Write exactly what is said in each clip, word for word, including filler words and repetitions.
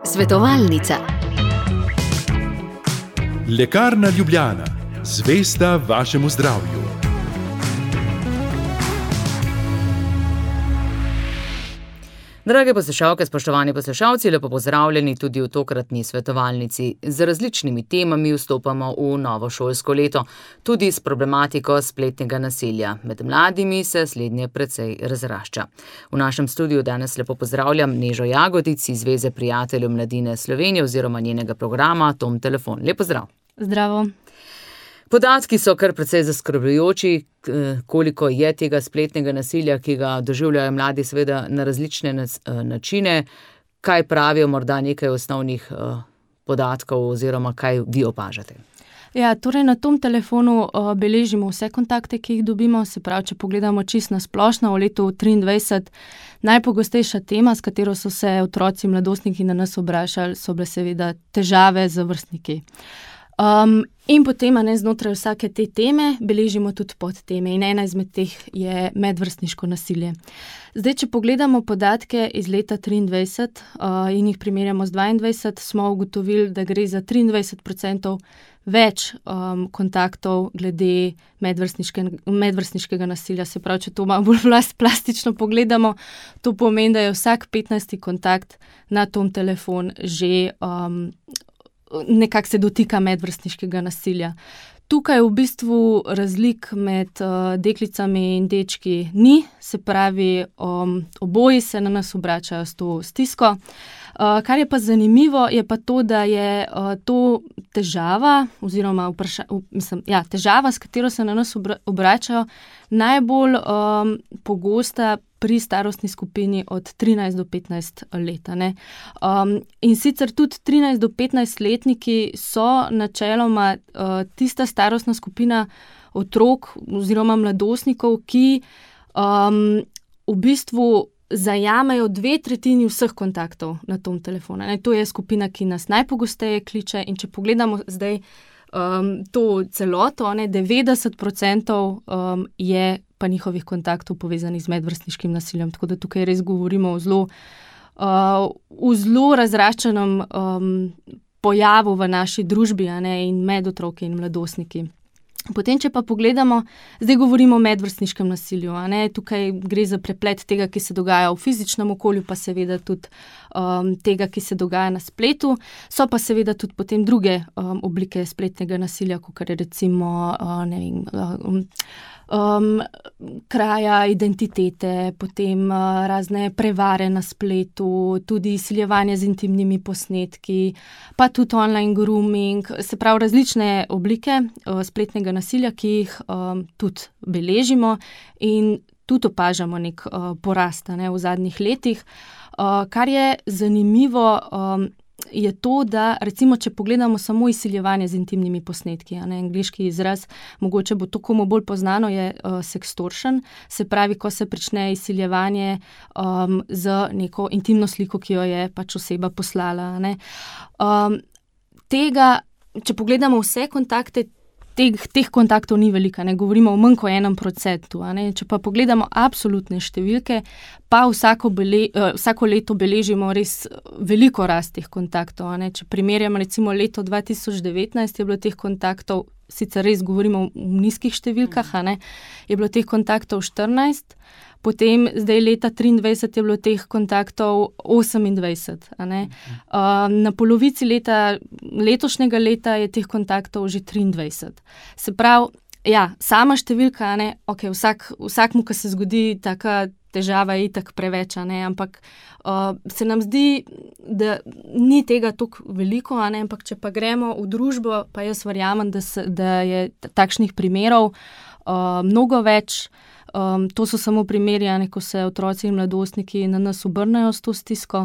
Svetovalnica. Lekarna Ljubljana, zvesta vašemu zdravju. Drage poslušalke, spoštovani poslušalci, lepo pozdravljeni tudi v tokratni svetovalnici. Z različnimi temami vstopamo v novo šolsko leto, tudi s problematiko spletnega nasilja. Med mladimi se slednje precej razrašča. V našem studiu danes lepo pozdravljam Nežo Jagodic iz Zveze prijateljev mladine Slovenije oziroma njenega programa Tom Telefon. Lep pozdrav. Zdravo. Podatki so kar precej zaskrbljujoči, koliko je tega spletnega nasilja, ki ga doživljajo mladi seveda na različne načine. Kaj pravijo morda nekaj osnovnih podatkov oziroma kaj vi opažate? Ja, torej na Tom Telefonu uh, beležimo vse kontakte, ki jih dobimo, se pravi, če pogledamo čisto na splošno v letu triindvajset, najpogostejša tema, s katero so se otroci, mladostniki na nas obračali, so bile seveda težave z vrstniki. Um, in potem, ne, znotraj vsake te teme beležimo tudi podteme in ena izmed teh je medvrstniško nasilje. Zdaj, če pogledamo podatke iz leta triindvajset uh, in jih primerjamo z dvaindvajset, smo ugotovili, da gre za triindvajset procentov več um, kontaktov glede medvrstniške, medvrstniškega nasilja. Se pravi, če to malo bolj plastično pogledamo, to pomeni, da je vsak petnajsti kontakt na Tom Telefon že um, nekako se dotika medvrstniškega nasilja. Tukaj v bistvu razlik med uh, deklicami in dečki ni, se pravi, um, oboji se na nas obračajo s to stisko. Uh, kar je pa zanimivo, je pa to, da je uh, to težava, oziroma vpraša, mislim, ja, težava, s katero se na nas obra, obračajo, najbolj um, pogosta pri starostni skupini od trinajst do petnajst let. Um, in sicer tudi trinajst do petnajst letniki so načeloma uh, tista starostna skupina otrok oziroma mladostnikov, ki um, v bistvu zajamejo dve tretjini vseh kontaktov na Tom Telefonu. Ne? To je skupina, ki nas najpogosteje kliče, in če pogledamo zdaj um, to celoto, ne, devetdeset procentov um, je pa njihovih kontaktov povezanih z medvrstniškim nasiljem. Tako da tukaj res govorimo o zelo, uh, o zelo razraščenem um, pojavu v naši družbi, a ne, in med otroki in mladostniki. Potem, če pa pogledamo, zdaj govorimo o medvrstniškem nasilju, a ne, tukaj gre za preplet tega, ki se dogaja v fizičnem okolju, pa seveda tudi um, tega, ki se dogaja na spletu. So pa seveda tudi potem druge um, oblike spletnega nasilja, kot je recimo, uh, ne vem, um, Um, kraja identitete, potem uh, razne prevare na spletu, tudi izsiljevanje z intimnimi posnetki, pa tudi online grooming, se pravi različne oblike uh, spletnega nasilja, ki jih um, tudi beležimo in tudi opažamo nek uh, porast, ne, v zadnjih letih. Uh, kar je zanimivo, um, je to, da recimo, če pogledamo samo izsiljevanje z intimnimi posnetki, a ne, angleški izraz, mogoče bo to komu bolj poznano, je uh, sextortion, se pravi, ko se prične izsiljevanje um, z neko intimno sliko, ki jo je pač oseba poslala. A ne. Um, tega, če pogledamo vse kontakte, Teh, teh kontaktov ni velika, ne govorimo o manj kot enem procentu. Če pa pogledamo absolutne številke, pa vsako, bele, vsako leto beležimo res veliko rast teh kontaktov. Če primerjamo recimo leto dva tisoč devetnajst, je bilo teh kontaktov, sicer res govorimo v nizkih številkah, a ne, je bilo teh kontaktov štirinajst, potem zdaj leta triindvajset je bilo teh kontaktov osemindvajset. A ne. Uh, na polovici leta, letošnjega leta je teh kontaktov že triindvajset. Se pravi, ja, sama številka, a ne, ok, vsak, vsakmu, ki se zgodi taka težava, je itak preveč, a ne, ampak uh, se nam zdi, da ni tega toliko veliko, a ne, ampak če pa gremo v družbo, pa jaz verjamem, da, se, da je takšnih primerov uh, mnogo več. Um, to so samo primeri, a ne, ko se otroci in mladostniki na nas obrnejo s to stisko.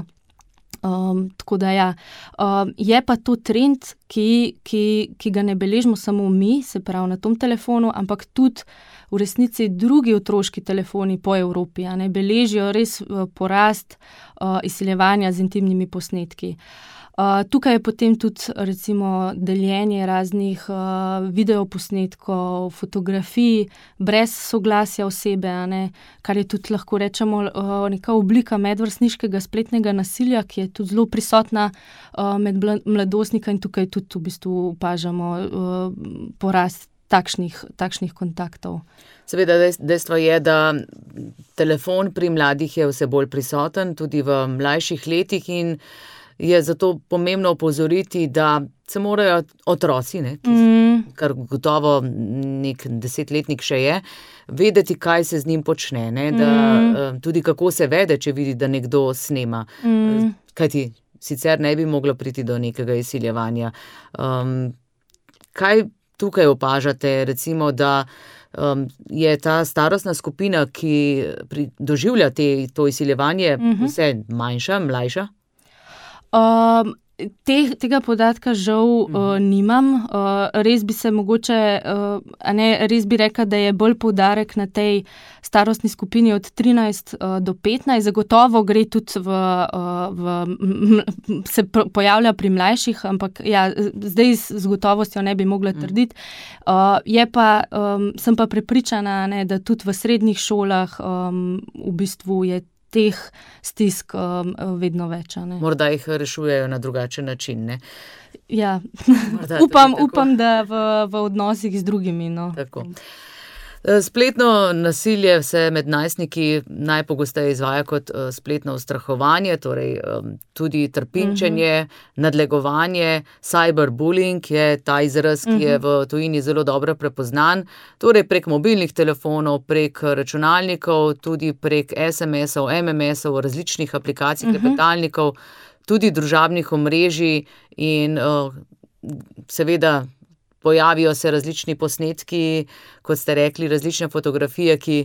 Um, tako da ja, um, je pa to trend, ki, ki, ki ga ne beležimo samo mi, se pravi na Tom Telefonu, ampak tudi v resnici drugi otroški telefoni po Evropi, a ne, beležijo res uh, porast uh, izsiljevanja z intimnimi posnetki. Uh, tukaj je potem tudi recimo deljenje raznih uh, videoposnetkov, fotografij, brez soglasja osebe, a ne, kar je tudi lahko rečemo uh, neka oblika medvrstniškega spletnega nasilja, ki je tudi zelo prisotna uh, med mladostnika in tukaj tudi v bistvu opažamo uh, porast takšnih, takšnih kontaktov. Seveda dejstvo je, da telefon pri mladih je vse bolj prisoten, tudi v mlajših letih in je zato pomembno opozoriti, da se morajo otroci, ne, ki, mm. kar gotovo nek desetletnik še je, vedeti, kaj se z njim počne, ne, da mm. tudi kako se vede, če vidi, da nekdo snema. Mm. Kajti sicer ne bi moglo priti do nekega izsiljevanja. Um, kaj tukaj opažate, recimo, da um, je ta starostna skupina, ki pri, doživlja te, to izsiljevanje, mm-hmm. vse manjša, mlajša? Um, te, tega podatka žal mm. uh, nimam. Uh, res bi se mogoče, uh, a ne, res bi rekla, da je bolj poudarek na tej starostni skupini od trinajst uh, do petnajst. Zagotovo gre tudi v, uh, v m, m, se pojavlja pri mlajših, ampak ja, zdaj z gotovostjo ne bi mogla trditi. Uh, je pa, um, sem pa prepričana, ne, da tudi v srednjih šolah um, v bistvu je teh stisk um, vedno več. Ne? Morda jih rešujejo na drugačen način, ne? Ja, upam, upam, da v, v odnosih z drugimi. No. Tako. Spletno nasilje se med najstniki najpogosteje izvaja kot spletno ustrahovanje, torej tudi trpinčenje, mm-hmm. nadlegovanje, cyberbullying je ta izraz, ki je v tujini zelo dobro prepoznan, torej prek mobilnih telefonov, prek računalnikov, tudi prek es em esov, em em esov, različnih aplikacij, mm-hmm. klepetalnikov, tudi družabnih omrežij in uh, seveda pojavijo se različni posnetki, kot ste rekli, različne fotografije, ki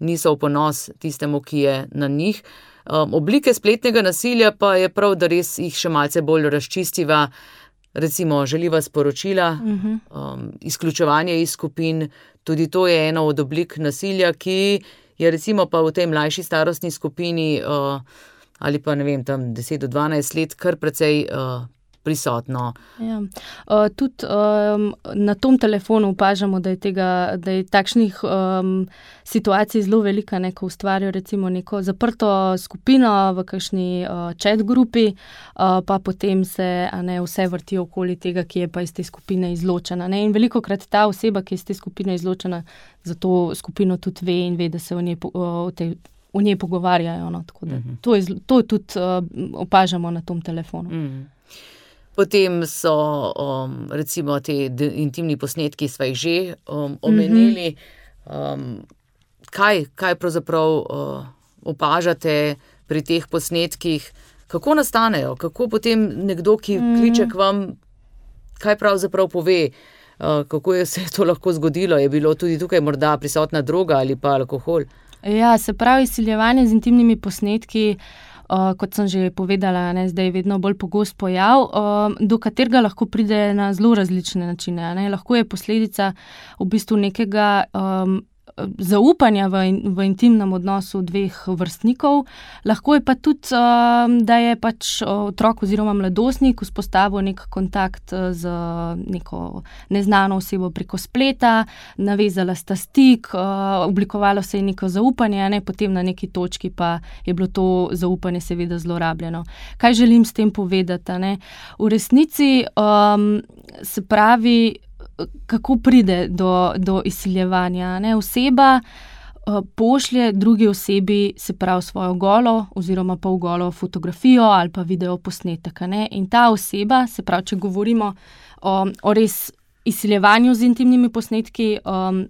niso v ponos tistemu, ki je na njih. Um, oblike spletnega nasilja pa je prav, da res jih še malce bolj razčistiva, recimo žaljiva sporočila, uh-huh. um, izključevanje iz skupin, tudi to je ena od oblik nasilja, ki je recimo pa v tej mlajši starostni skupini uh, ali pa ne vem, tam deset do dvanajst let kar precej uh, prisotno. Ja. Uh, tudi um, na tom telefonu opažamo, da je, tega, da je takšnih um, situacij zelo velika, ne, ko ustvarjajo recimo neko zaprto skupino v kakšni uh, chat grupi, uh, pa potem se a ne, vse vrti okoli tega, ki je pa iz te skupine izločena. Ne. In velikokrat ta oseba, ki je iz te skupine izločena, za to skupino tudi ve in ve, da se o njej, o tej, o njej pogovarjajo. No. Tako da, uh-huh. to, je, to tudi uh, opažamo na tom telefonu. Uh-huh. Potem so um, recimo te intimni posnetki, sva jih že um, omenili. Um, kaj, kaj pravzaprav uh, opažate pri teh posnetkih? Kako nastanejo? Kako potem nekdo, ki kliče k vam, kaj pravzaprav pove? Uh, kako je se to lahko zgodilo? Je bilo tudi tukaj morda prisotna droga ali pa alkohol? Ja, se pravi, izsiljevanje z intimnimi posnetki, Uh, kot sem že povedala, ne, zdaj je vedno bolj pogost pojav, uh, do katerega lahko pride na zelo različne načine. Ne. Lahko je posledica v bistvu nekega um, zaupanja v, in, v intimnem odnosu dveh vrstnikov. Lahko je pa tudi, um, da je pač otrok oziroma mladostnik vzpostavil nek kontakt z neko neznano osebo preko spleta, navezala sta stik, uh, oblikovalo se je neko zaupanje, ne, potem na neki točki pa je bilo to zaupanje seveda zlorabljeno. Kaj želim s tem povedati? Ne? V resnici um, se pravi, kako pride do, do izsiljevanja. Ne? Oseba uh, pošlje drugi osebi, se pravi, svojo golo oziroma pa v golo fotografijo ali pa video posnetek. Ne? In ta oseba, se pravi, če govorimo o, o res izsiljevanju z intimnimi posnetki, um,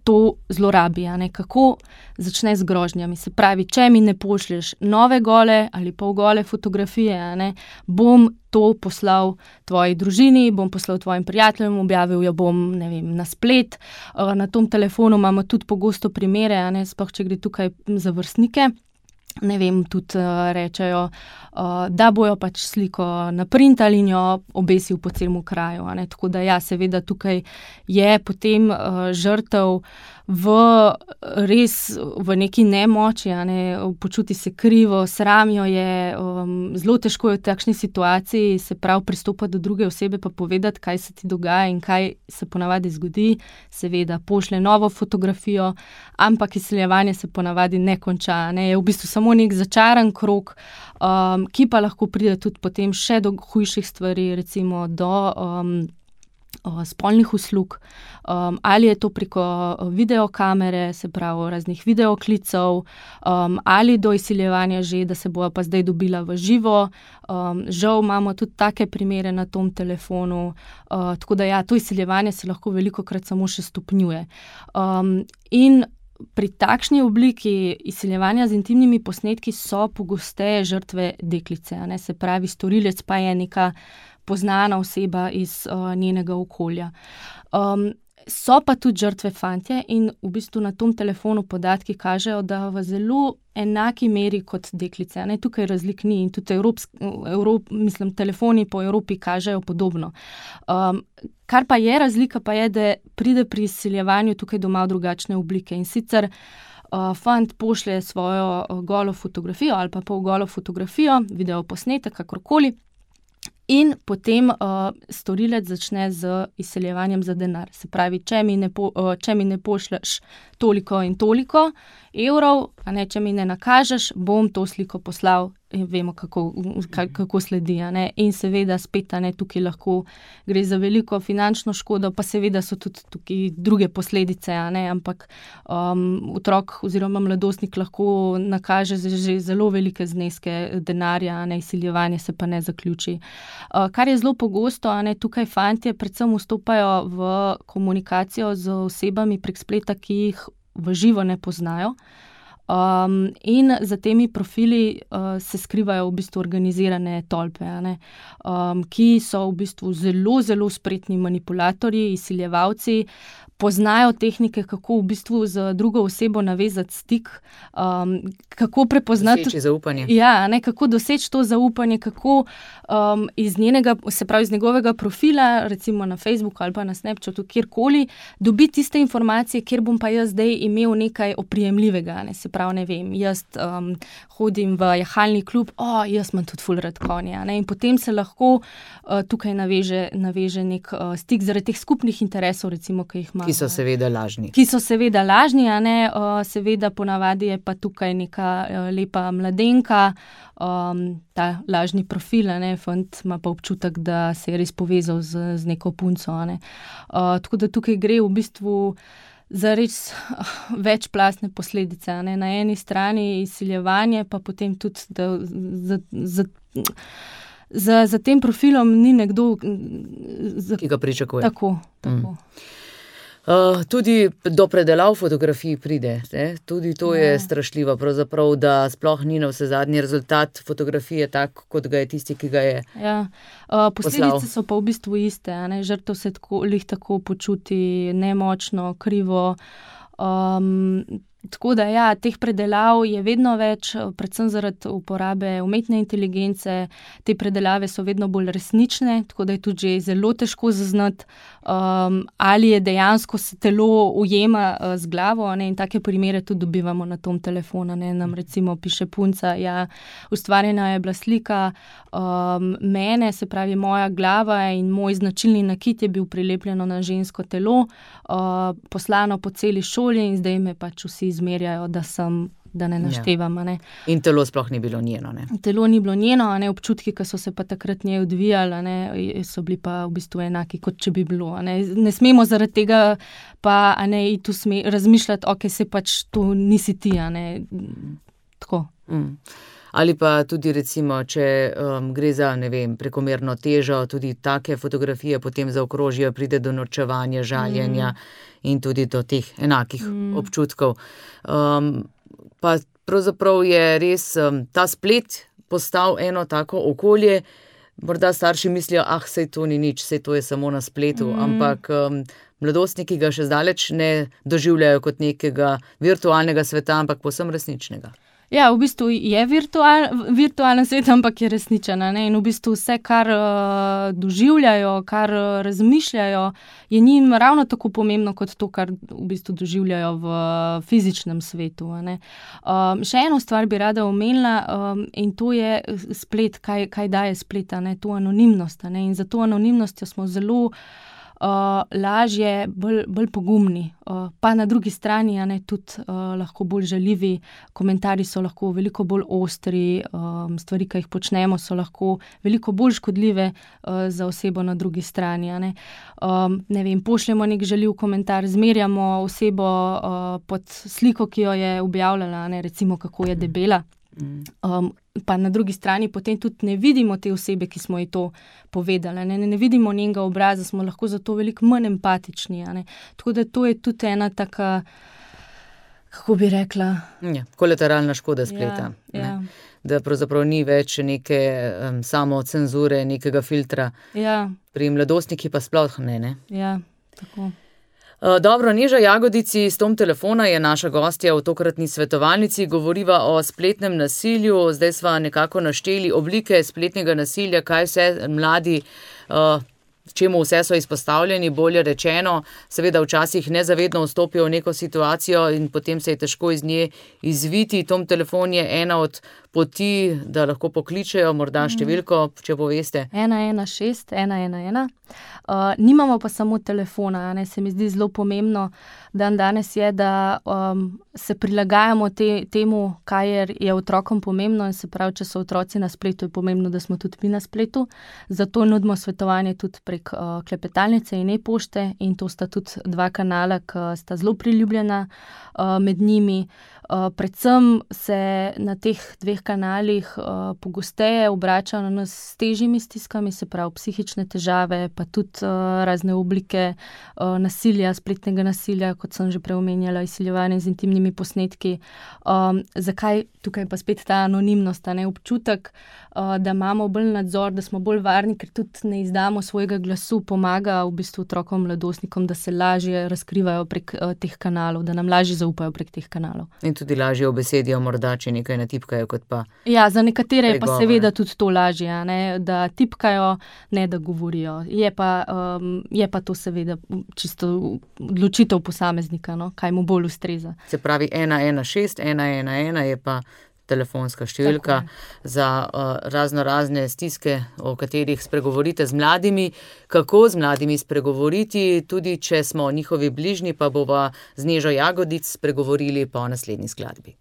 to zlorabi. Ne? Kako začne z grožnjami. Se pravi, če mi ne pošlješ nove gole ali pa v gole fotografije, ne, bom to poslal tvoji družini, bom poslal tvojim prijateljem, objavil jo bom, ne vem, na splet. Na tom telefonu imamo tudi pogosto primere, ne, sploh če gre tukaj za vrstnike. Ne vem, tudi uh, rečejo, uh, da bojo pač sliko naprintali in jo obesil po celemu kraju. Ne? Tako da ja, seveda tukaj je potem uh, žrtev v res v neki nemoči, a ne, počuti se krivo, sramijo je, um, zelo težko je v takšni situaciji se prav pristopati do druge osebe pa povedati, kaj se ti dogaja in kaj se ponavadi zgodi. Seveda pošlje novo fotografijo, ampak izsiljevanje se ponavadi ne konča, ne, je v bistvu samo nek začaran krog, um, ki pa lahko pride tudi potem še do hujših stvari, recimo do um, spolnih uslug, um, ali je to preko videokamere, se pravi raznih videoklicev, um, ali do izsiljevanja že, da se bojo pa zdaj dobila v živo. Um, žal imamo tudi take primere na tom telefonu, uh, tako da ja, to izsiljevanje se lahko velikokrat samo še stopnjuje. Um, in pri takšni obliki izsiljevanja z intimnimi posnetki so pogosteje žrtve deklice, a ne, se pravi, storilec pa je neka poznana oseba iz uh, njenega okolja. Um, so pa tudi žrtve fantje in v bistvu na tom telefonu podatki kažejo, da v zelo enaki meri kot deklice. Ne, tukaj razlik ni in tudi Evropsk, Evrop, mislim, telefoni po Evropi kažejo podobno. Um, kar pa je razlika, pa je, da pride pri izsiljevanju tukaj do malo drugačne oblike in sicer uh, fant pošlje svojo uh, golo fotografijo ali pa pol golo fotografijo, video posnetek, kakorkoli, in potem uh, storilec začne z izsiljevanjem za denar. Se pravi, če mi ne, po, uh, če mi ne pošleš toliko in toliko evrov, a ne, če mi ne nakažeš, bom to sliko poslal in vemo, kako, kako sledi. A ne. In seveda spet, a ne, tukaj lahko gre za veliko finančno škodo, pa seveda so tudi tukaj druge posledice, a ne, ampak um, otrok oziroma mladostnik lahko nakaže že zelo velike zneske denarja, a ne, izsiljevanje se pa ne zaključi. Uh, kar je zelo pogosto, a ne, tukaj fantje predvsem vstopajo v komunikacijo z osebami prek spleta, ki jih v živo ne poznajo. Um, in za temi profili uh, se skrivajo v bistvu organizirane tolpe, a ne, um, ki so v bistvu zelo, zelo spretni manipulatorji, izsiljevalci, poznajo tehnike, kako v bistvu z drugo osebo navezati stik, um, kako prepoznati... Doseči zaupanje. Ja, ne, kako doseči to zaupanje, kako um, iz njenega, se pravi iz njegovega profila, recimo na Facebooku ali pa na Snapchatu, kjerkoli, dobiti tiste informacije, kjer bom pa jaz zdaj imel nekaj oprijemljivega, ne, se pravi, ne vem, jaz um, hodim v jahalni klub, o, jaz imam tudi ful rad konja, ne, in potem se lahko uh, tukaj naveže, naveže nek uh, stik zaradi teh skupnih interesov, recimo, ki jih ima. Ki so seveda lažni. Ki so seveda lažni, a ne, uh, seveda ponavadi je pa tukaj neka uh, lepa mladenka, um, ta lažni profil, a ne, fant ima pa občutek, da se je res povezal z, z neko punco, a ne. Uh, tako da tukaj gre v bistvu za res uh, večplastne posledice, a ne, na eni strani izsiljevanje, pa potem tudi, da za, za, za, za tem profilom ni nekdo, za, ki ga pričakuje. Tako, tako. Mm. Uh, tudi do predelav fotografij pride, ne? Tudi to ja. Je strašljivo, pravzaprav, da sploh ni na vse zadnji rezultat fotografije tak, kot ga je tisti, ki ga je ja. uh, posledice poslal. So pa v bistvu iste, a ne? Žrtev se tako, lih tako počuti nemočno, krivo. Um, tako da ja, teh predelav je vedno več, predvsem zaradi uporabe umetne inteligence, te predelave so vedno bolj resnične, tako da je tudi že zelo težko zaznati, um, ali je dejansko se telo ujema uh, z glavo, ne, in take primere tudi dobivamo na tom telefonu, ne, nam recimo piše punca, ja, ustvarjena je bila slika um, mene, se pravi moja glava in moj značilni nakit je bil prilepljeno na žensko telo, uh, poslano po celi šoli in zdaj me pač vsi izmerjajo, da sem, da ne naštevam, a ne. In telo sploh ni bilo njeno, ne. Telo ni bilo njeno, a ne, občutki, ki so se pa takrat njej odvijali, a ne, so bili pa v bistvu enaki, kot če bi bilo, a ne. Ne smemo zaradi tega pa, a ne, iti sme, razmišljati, ok, se pač to nisi ti, a ne, tako. Mm. Ali pa tudi recimo, če um, gre za, ne vem, prekomerno težo, tudi take fotografije potem zaokrožijo, pride do norčevanja, žaljenja mm. in tudi do teh enakih mm. občutkov. Um, pa pravzaprav je res um, ta splet postal eno tako okolje, morda starši mislijo, ah, sej to ni nič, sej to je samo na spletu, mm. ampak um, mladostniki ga še zdaleč ne doživljajo kot nekega virtualnega sveta, ampak povsem resničnega. Ja, v bistvu je virtual, virtualen svet, ampak je resničen. Ne? In v bistvu vse, kar uh, doživljajo, kar uh, razmišljajo, je njim ravno tako pomembno kot to, kar v bistvu doživljajo v uh, fizičnem svetu. Um, še eno stvar bi rada omenila um, in to je splet, kaj, kaj daje splet, ne? To anonimnost. Ne? In za to anonimnostjo smo zelo Uh, lažje, bolj, bolj pogumni, uh, pa na drugi strani ja, ne, tudi uh, lahko bolj žaljivi, komentarji so lahko veliko bolj ostri, um, stvari, ki jih počnemo, so lahko veliko bolj škodljive uh, za osebo na drugi strani. Ja, ne. Um, ne vem, pošljemo nek žaljiv komentar, zmerjamo osebo uh, pod sliko, ki jo je objavljala, ne, recimo kako je debela. Um, pa na drugi strani potem tudi ne vidimo te osebe, ki smo ji to povedali, ne, ne vidimo njenega obraza, smo lahko zato veliko manj empatični. Ne. Tako da to je tudi ena taka, kako bi rekla... Ja, kolateralna škoda spleta. Ja, ja. Da pravzaprav ni več neke um, samocenzure, nekega filtra. Ja. Pri mladostniki pa sploh ne, ne? Ja, tako. Dobro, Neža Jagodici s tom telefona je naša gostja v tokratni svetovalnici, govoriva o spletnem nasilju, zdaj sva nekako našteli oblike spletnega nasilja, kaj vse mladi, uh, čemu vse so izpostavljeni, bolje rečeno, seveda včasih nezavedno vstopijo v neko situacijo in potem se je težko iz nje izviti. Tom telefon je ena od poti, da lahko pokličejo, morda številko, če poveste. ena ena šest ena ena ena. Uh, nimamo pa samo telefona, ne? Se mi zdi zelo pomembno, dan danes je, da um, se prilagajamo te, temu, kaj je, je otrokom pomembno in se pravi, če so otroci na spletu, je pomembno, da smo tudi mi na spletu. Zato nudimo svetovanje tudi prek uh, klepetalnice in e-pošte in to sta tudi dva kanala, ki sta zelo priljubljena uh, med njimi. Uh, predvsem se na teh dveh kanalih uh, pogosteje obračajo na nas s težjimi stiskami, se pravi psihične težave, pa tudi uh, razne oblike uh, nasilja, spletnega nasilja, kot sem že preomenjala, izsiljevanje z intimnimi posnetki. Um, zakaj tukaj pa spet ta anonimnost, ne? Občutek, uh, da imamo bolj nadzor, da smo bolj varni, ker tudi ne izdamo svojega glasu, pomaga v bistvu otrokom, mladostnikom, da se lažje razkrivajo prek uh, teh kanalov, da nam lažje zaupajo prek teh kanalov. In tudi lažje obesedijo, morda, če nekaj natipkajo, kot pa... Ja, za nekatere je pa seveda tudi to lažje, ne? Da tipkajo, ne da govorijo. Je pa, um, je pa to seveda čisto odločitev posameznika, no? Kaj mu bolj ustreza. Se pravi, ena ena šest ena ena ena je pa telefonska številka za uh, razno razne stiske, o katerih spregovorite z mladimi. Kako z mladimi spregovoriti, tudi če smo njihovi bližnji, pa bova z Nežo Jagodic spregovorili po naslednji skladbi.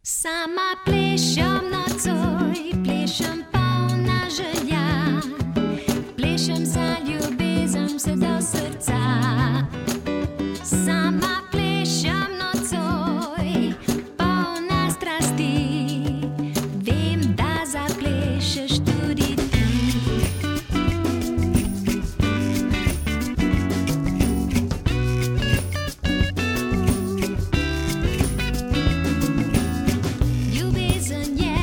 Sama plešem nocoj, plešem polna želja, plešem za ljubezen vse do srca. Sama plešem nocoj, polna strasti, vem, da zaplešeš tudi ti. Ljubezen je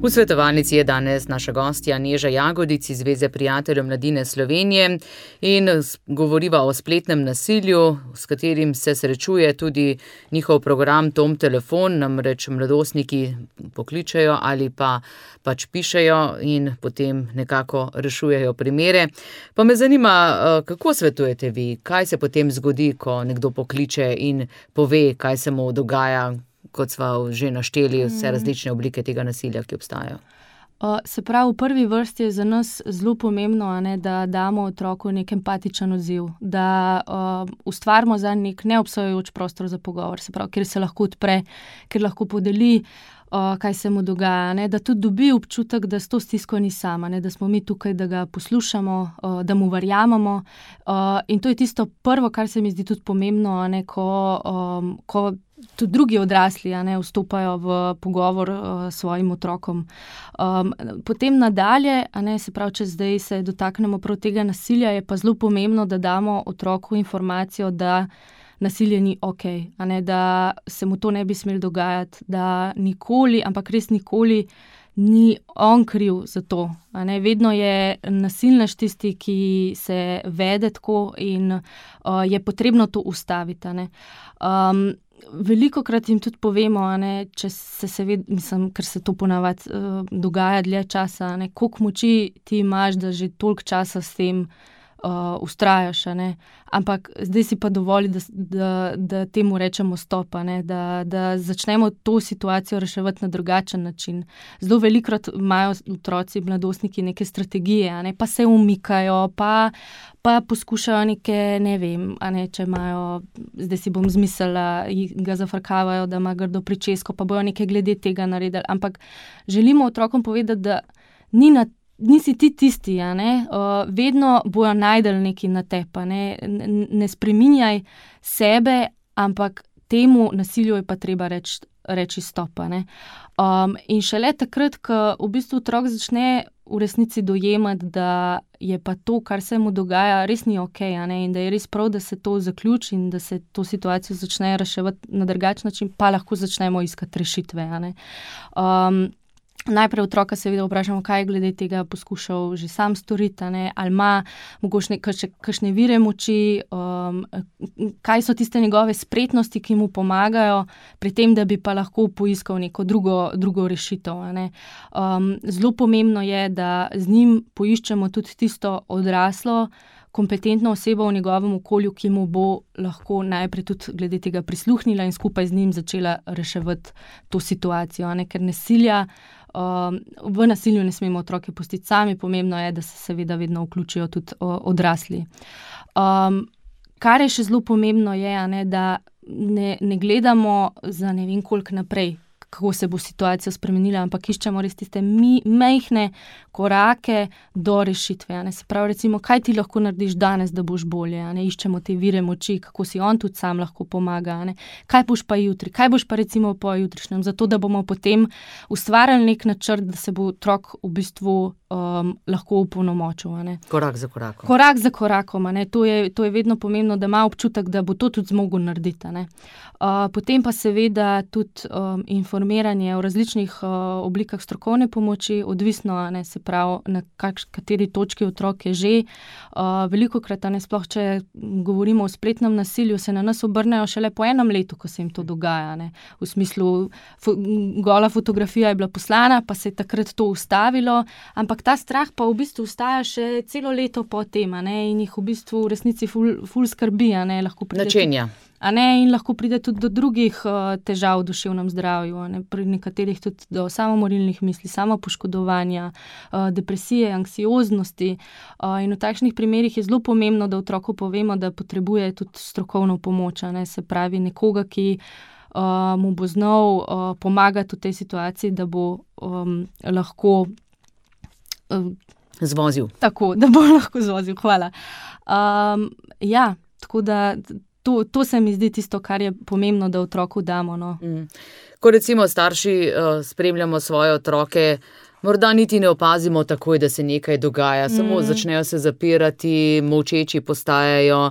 V svetovalnici je danes naša gostja Neža Jagodic iz Zveze prijateljev mladine Slovenije in govoriva o spletnem nasilju, s katerim se srečuje tudi njihov program Tom telefon, namreč mladostniki pokličejo ali pa pač pišejo in potem nekako rešujejo primere. Pa me zanima, kako svetujete vi, kaj se potem zgodi, ko nekdo pokliče in pove, kaj se mu dogaja, kot sva že našteli vse različne oblike tega nasilja, ki obstajajo. Uh, se pravi, v prvi vrsti je za nas zelo pomembno, a ne, da damo otroku nek empatičen odziv, da uh, ustvarimo za nek neobsojajoč prostor za pogovor, se pravi, kjer se lahko odpre, kjer lahko podeli, uh, kaj se mu dogaja, ne, da tudi dobi občutek, da s to stisko ni sama, ne, da smo mi tukaj, da ga poslušamo, uh, da mu verjamemo. Uh, in to je tisto prvo, kar se mi zdi tudi pomembno, a ne, ko, um, ko tudi drugi odrasli, a ne, vstopajo v pogovor uh, s svojim otrokom. Um, potem nadalje, a ne, se pravi, če zdaj se dotaknemo prav tega nasilja, je pa zelo pomembno, da damo otroku informacijo, da nasilje ni okej, a ne, da se mu to ne bi smelo dogajati, da nikoli, ampak res nikoli ni on kriv za to. A ne, vedno je nasilnež tisti, ki se vede tako in uh, je potrebno to ustaviti, a ne. Um, Velikokrat jim tudi povemo, a ne, če se seveda, mislim, ker se to ponavadi uh, dogaja dlje časa, a ne, koliko moči ti imaš, da že toliko časa s tem uh, vztrajaš, a ne, ampak zdaj si pa dovolj, da, da, da temu rečemo stop, a ne, da, da začnemo to situacijo reševati na drugačen način. Zelo velikokrat imajo otroci, mladostniki neke strategije, a ne, pa se umikajo, pa pa poskušajo neke, ne vem, a ne, če imajo, zdaj si bom zmislila, ga zafrkavajo, da ima grdo pričesko, pa bojo nekaj glede tega naredili, ampak želimo otrokom povedati, da ni na, nisi ti tisti, a ne, uh, vedno bojo najdeli nekaj na tepa, ne, ne spreminjaj sebe, ampak temu nasilju je pa treba reči, reči stop, a ne. Um, in šele takrat, ko v bistvu otrok začne v resnici dojemati, da je pa to, kar se mu dogaja, res ni okej, a ne, in da je res prav, da se to zaključi in da se to situacijo začne reševati na drugačen način, pa lahko začnemo iskati rešitve, a ne. Um, Najprej otroka seveda vprašamo, kaj je glede tega poskušal že sam storiti, ne, ali ima mogoče kakšne vire moči, um, kaj so tiste njegove spretnosti, ki mu pomagajo pri tem, da bi pa lahko poiskal neko drugo, drugo rešitev, a ne. Um, zelo pomembno je, da z njim poiščemo tudi tisto odraslo, kompetentno osebo v njegovem okolju, ki mu bo lahko najprej tudi glede tega prisluhnila in skupaj z njim začela reševati to situacijo, a ne, ker nasilja, um, v nasilju ne smemo otroke pustiti sami, pomembno je, da se seveda vedno vključijo tudi o, odrasli. Um, kar je še zelo pomembno je, a ne, da ne, ne gledamo za ne vem koliko naprej, kako se bo situacija spremenila, ampak iščemo res tiste mi, mehne korake do rešitve, a ne. Se pravi, recimo, kaj ti lahko narediš danes, da boš bolje, a ne, iščemo te vire moči, kako si on tudi sam lahko pomaga, a ne. Kaj boš pa jutri, kaj boš pa recimo po jutrišnjem, zato da bomo potem ustvarjali nek načrt, da se bo otrok v bistvu um, lahko opolnomočil, a ne. Korak za korakom. Korak za korakom, a ne, to je, to je vedno pomembno, da ima občutek, da bo to tudi zmogel narediti, a ne. Uh, potem pa seveda tudi um, informiranje o različnih uh, oblikah strokovne pomoči, odvisno, a ne, se pravi, na kakš, kateri točki otrok je že. Uh, velikokrat, a ne, sploh če govorimo o spletnem nasilju, se na nas obrnejo šele po enem letu, ko se jim to dogaja, ne. V smislu, fo, gola fotografija je bila poslana, pa se je takrat to ustavilo, ampak ta strah pa v bistvu ostaja še celo leto po tem, a ne, in jih v bistvu v resnici ful, ful skrbi, a ne, lahko pride. Načenja. A ne, in lahko pride tudi do drugih uh, težav v duševnem zdravju, a ne, pri nekaterih tudi do samomorilnih misli, samopoškodovanja, uh, depresije, anksioznosti. Uh, in v takšnih primerih je zelo pomembno, da otroku povemo, da potrebuje tudi strokovno pomoč, a ne, se pravi nekoga, ki uh, mu bo znal uh, pomagati v tej situaciji, da bo um, lahko uh, zvozil. Tako, da bo lahko zvozil, hvala. Um, ja, tako da To, to se mi zdi tisto, kar je pomembno, da otroku damo. No. Mm. Ko recimo starši uh, spremljamo svoje otroke, morda niti ne opazimo takoj, da se nekaj dogaja, mm. samo začnejo se zapirati, molčeči postajajo,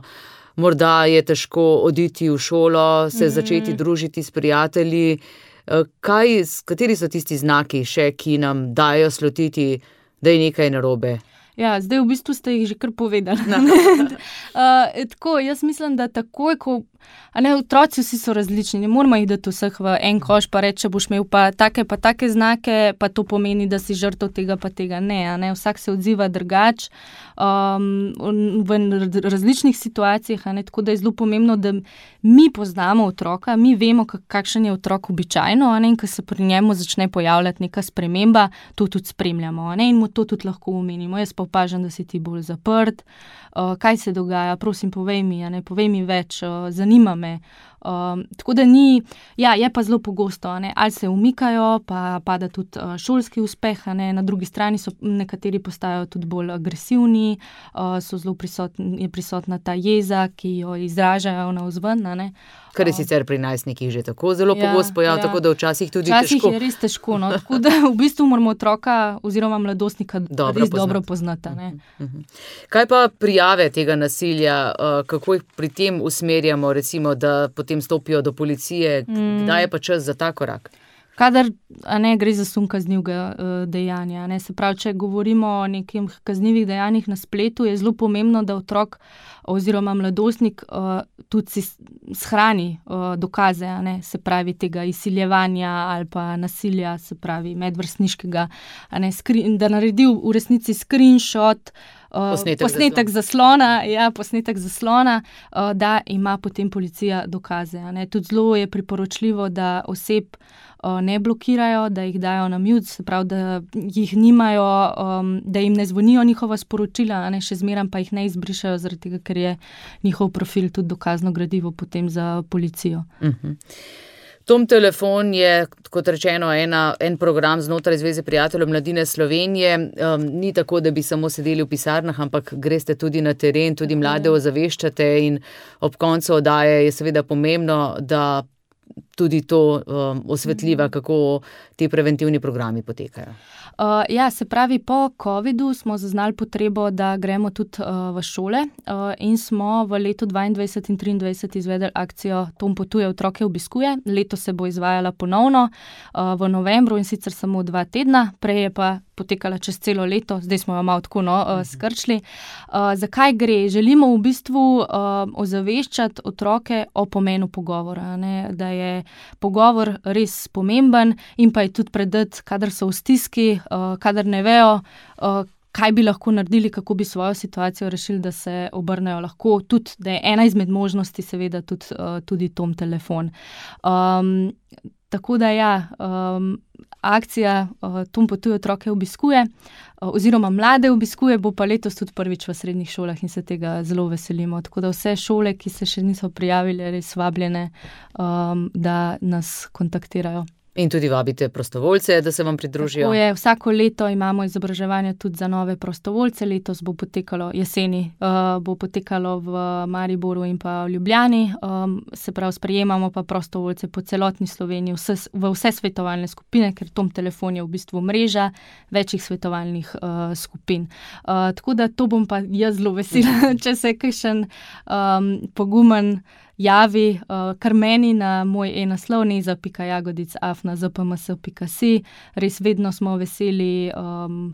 morda je težko oditi v šolo, se mm. začeti družiti s prijatelji. Kaj, kateri so tisti znaki še, ki nam dajo slutiti, da je nekaj narobe? Ja, zdaj v bistvu ste jih že kar povedali. uh, tako, jaz mislim, da takoj, ko a ne, otroci vsi so različni, ne moramo jih dati vseh v en koš, pa reči, če boš imel pa take pa take znake, pa to pomeni, da si žrtev tega pa tega. Ne, a ne, vsak se odziva drugače, um, v različnih situacijah, a ne, tako da je zelo pomembno, da mi poznamo otroka, mi vemo, kakšen je otrok običajno, a ne, in ko se pri njemu začne pojavljati neka sprememba, to tudi spremljamo, a ne, in mu to tudi lahko omenimo. Jaz pa opažam, da si ti bolj zaprt, uh, kaj se dogaja, prosim, povej mi, a ne, povej mi več, uh, zanima me. Um, tako da ni, ja, je pa zelo pogosto, a ne, ali se umikajo, pa pada tudi uh, šolski uspeh, a ne, na drugi strani so nekateri postajajo tudi bolj agresivni, uh, so zelo prisotni, je prisotna ta jeza, ki jo izražajo navzven, a ne. Kar je sicer pri najstnikih že tako zelo Ja, pogost pojav, ja. tako da včasih tudi Včasih težko. je res težko, no, tako da v bistvu moramo otroka oziroma mladostnika Dobro res poznati. dobro poznati, a ne. Mhm. Kaj pa prijave tega nasilja, uh, kako jih pri tem usmerjamo, recimo, da potem stopijo do policije, Mm. kdaj je pa čas za ta korak? Kadar, a ne, gre za sum kaznivega uh, dejanja, a ne, se pravi, če govorimo o nekih kaznivih dejanjih na spletu, je zelo pomembno, da otrok oziroma mladostnik uh, tudi si shrani uh, dokaze, a ne, se pravi tega izsiljevanja ali pa nasilja, se pravi medvrstniškega, a ne, skri, da naredi v resnici screenshot, uh, Posnetek posnetek zaslona, ja, posnetek zaslona, uh, da ima potem policija dokaze, a ne. Tudi zelo je priporočljivo, da oseb uh, ne blokirajo, da jih dajo na mute, se pravi, da jih nimajo, um, da jim ne zvonijo njihova sporočila, a ne, še zmeraj pa jih ne izbrišajo, zaradi tega, ker je njihov profil tudi dokazno gradivo potem za policijo. Mhm. Tom telefon je, kot rečeno, ena, en program znotraj Zveze prijateljev mladine Slovenije. Um, ni tako, da bi samo sedeli v pisarnah, ampak greste tudi na teren, tudi mlade ozaveščate in ob koncu oddaje je seveda pomembno, da tudi to um, osvetljiva, kako ti preventivni programi potekajo. Uh, ja, se pravi, po covidu smo zaznali potrebo, da gremo tudi uh, v šole uh, in smo v letu dvaindvajset in triindvajset izvedli akcijo Tom potuje, otroke obiskuje. Letos se bo izvajala ponovno uh, v novembru in sicer samo dva tedna, prej je pa potekala čez celo leto, zdaj smo jo malo tako no, uh, skrčili. Uh, zakaj gre? Želimo v bistvu uh, ozaveščati otroke o pomenu pogovora, ne? Da je pogovor res pomemben in pa je tudi predati, kadar so v stiski, uh, kadar ne vejo, uh, kaj bi lahko naredili, kako bi svojo situacijo rešili, da se obrnejo lahko, tudi, da je ena izmed možnosti seveda tudi, uh, tudi Tom telefon. Um, tako da ja, um, akcija uh, Tom potuje, otroke obiskuje, uh, oziroma mlade obiskuje, bo pa letos tudi prvič v srednjih šolah in se tega zelo veselimo. Tako da vse šole, ki se še niso prijavile, res vabljene, um, da nas kontaktirajo. In tudi vabite prostovoljce, da se vam pridružijo. Tako je, vsako leto imamo izobraževanje tudi za nove prostovoljce, letos bo potekalo jeseni, uh, bo potekalo v Mariboru in pa v Ljubljani, um, se pravi, sprejemamo pa prostovoljce po celotni Sloveniji, vse, v vse svetovalne skupine, ker Tom telefon je v bistvu mreža večjih svetovalnih uh, skupin. Uh, tako da to bom pa jaz zelo vesela, če se kakšen um, pogumen javi, uh, kar meni na moj e-naslov neza pika jagodic afna zpms pika si. Res vedno smo veseli um,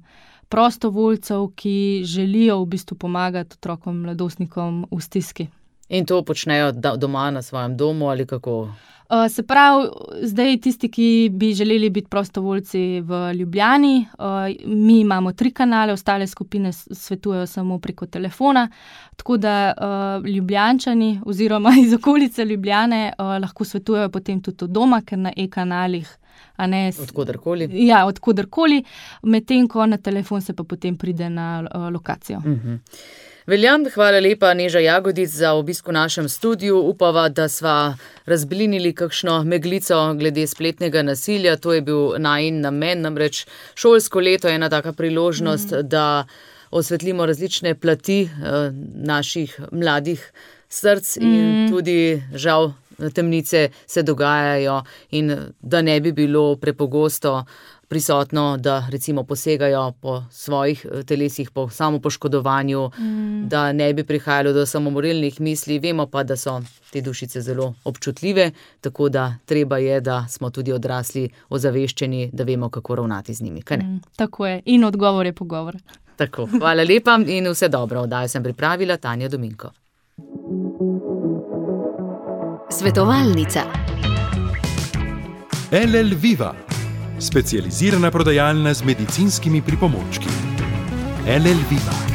prostovoljcev, ki želijo v bistvu pomagati otrokom, mladostnikom v stiski. In to počnejo doma na svojem domu ali kako? Uh, se pravi, zdaj tisti, ki bi želeli biti prostovoljci v Ljubljani, uh, mi imamo tri kanale, ostale skupine svetujejo samo preko telefona, tako da uh, Ljubljančani oziroma iz okolice Ljubljane uh, lahko svetujejo potem tudi od doma, ker na e-kanalih a ne, odkodarkoli. Ja, odkodarkoli, medtem ko na telefon se pa potem pride na uh, lokacijo. Mhm. Veljam, hvala lepa, Neža Jagodic, za obisk v našem studiu. Upava, da sva razblinili kakšno meglico glede spletnega nasilja. To je bil najin namen, namreč šolsko leto je ena taka priložnost, mm. da osvetlimo različne plati eh, naših mladih src in mm. tudi žal temnice se dogajajo in da ne bi bilo prepogosto prisotno, da recimo posegajo po svojih telesih, po samopoškodovanju, mm. da ne bi prihajalo do samomorilnih misli. Vemo pa, da so te dušice zelo občutljive, tako da treba je, da smo tudi odrasli ozaveščeni, da vemo, kako ravnati z njimi. Kaj ne? Mm, tako je. In odgovor je pogovor. Tako, hvala lepa in vse dobro. Oddajo sem pripravila Tanja Dominko. Svetovalnica. L L Viva, specializirana prodajalna z medicinskimi pripomočki. L L Viva.